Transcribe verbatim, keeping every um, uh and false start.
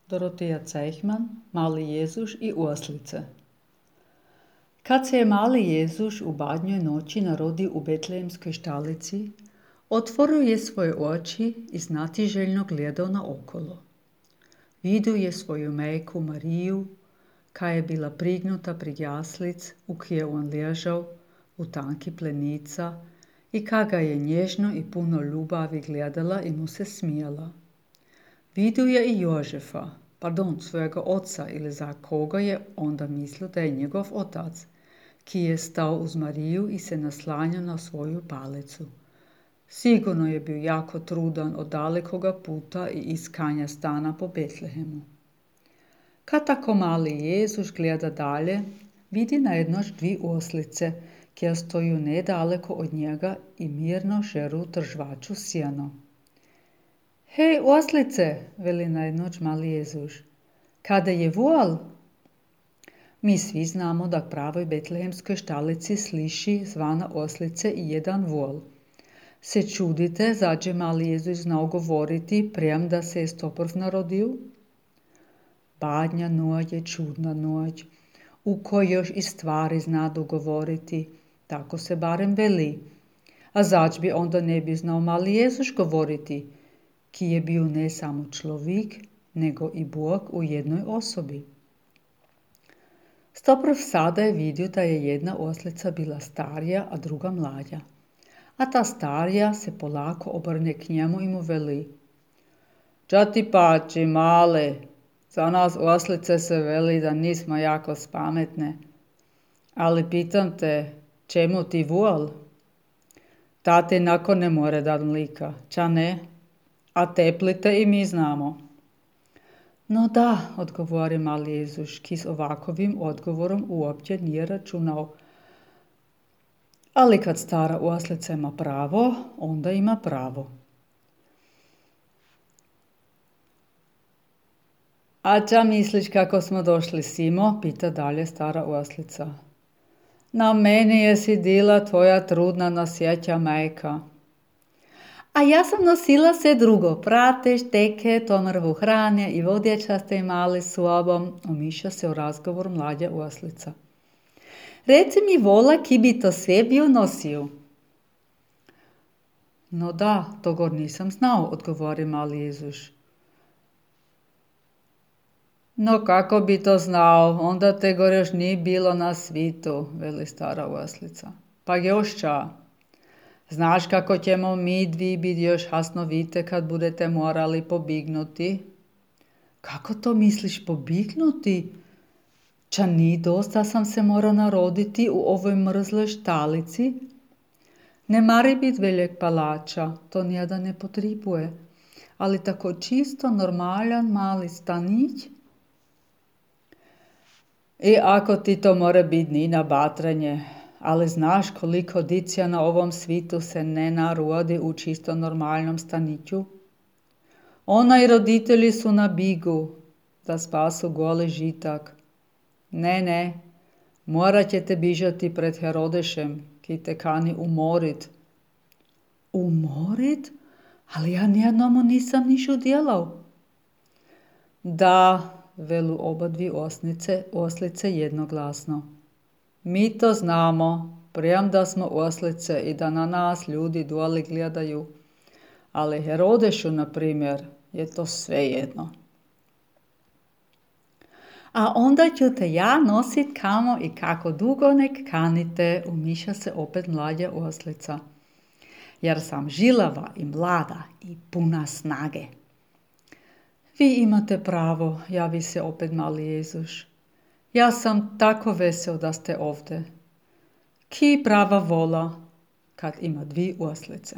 Doroteja Cejhman, Mali Jezuš i oslice. Kad se je mali Jezuš u badnjoj noći narodio u betlejemskoj štalici, otvorio je svoje oči i znatiželjno gledao naokolo. Vidio je svoju majku Mariju, koja je bila prignuta pred jaslic u kje on ležao u tanki plenica i ka ga je nježno i puno ljubavi gledala i mu se smijala. Vidio je i Jožefa, pardon, svojega oca ili za koga je onda mislio da je njegov otac, ki je stao uz Mariju i se naslanjao na svoju palicu. Sigurno je bio jako trudan od dalekoga puta i iskanja stana po Betlehemu. Kad tako mali Jezuš gleda dalje, vidi najednoć dvi oslice, kjer stoju nedaleko od njega i mirno žeru tržvaču sjeno. Hej, oslice, veli najednoć mali Jezuš, kada je vol? Mi svi znamo da pravoj betlehemskoj štalici sliši zvana oslice i jedan vol. Se čudite, zađe mali Jezuš znao govoriti prijem da se je stoprv narodio? Badnja noć je čudna noć, u kojoj još i stvari zna dogovoriti, tako se barem veli. A zač bi onda ne bi znao mali Jezuš govoriti, ki je bio ne samo človek, nego i Bog u jednoj osobi. Stoprv sada je vidio da je jedna oslica bila starija, a druga mlađa. A ta starija se polako obrne k njemu i mu veli: Ča ti pači, male, za nas oslice se veli da nismo jako spametne. Ali pitam te, čemu ti vol? Tate nako ne more dat mlika, ča ne? A teplite i mi znamo. No da, odgovori mali Jezuš, ki s ovakovim odgovorom uopće nije računao. Ali kad stara oslica ima pravo, onda ima pravo. A ča misliš kako smo došli simo? Pita dalje stara oslica. Na meni je sidila tvoja trudna nosjeća majka. A ja sam nosila sve drugo, prate, šteke, tomrvu hrane i vodječaste imali sobom, umiša se u razgovor mlađa oslica. Reci mi vola, ki bi to sve bio nosio. No da, to gor nisam znao, odgovori mali Jezuš. No kako bi to znao, onda te gor još nije bilo na svitu, veli stara oslica. Pa još ča. Znaš kako ćemo mi dvi biti još hasnovite kad budete morali pobignuti? Kako to misliš pobignuti? Ča ni dosta sam se morao naroditi u ovoj mrzloj štalici? Ne mari bit veljeg palača, to nijedan ne potribuje, ali tako čisto normalan mali stanić. I ako ti to more biti ni na batranje, ali znaš koliko dicija na ovom svitu se ne narodi u čisto normalnom staniću? Ona i roditelji su na bigu da spasu goli žitak. Ne, ne, morat ćete bižati pred Herodešem, ki te kani umorit. Umorit? Ali ja nijednomu nisam niš udjelao. Da, velu oba dvi osnice, oslice jednoglasno. Mi to znamo, prijem da smo oslice i da na nas ljudi doli gledaju, ali Herodešu, na primjer, je to svejedno. A onda ću te ja nosit kamo i kako dugo nek kanite, umiša se opet mlađa oslica, jer sam žilava i mlada i puna snage. Vi imate pravo, javi se opet mali Jezuš. Ja sam tako vesel da ste ovdje. Ki prava vola kad ima dvi oslice.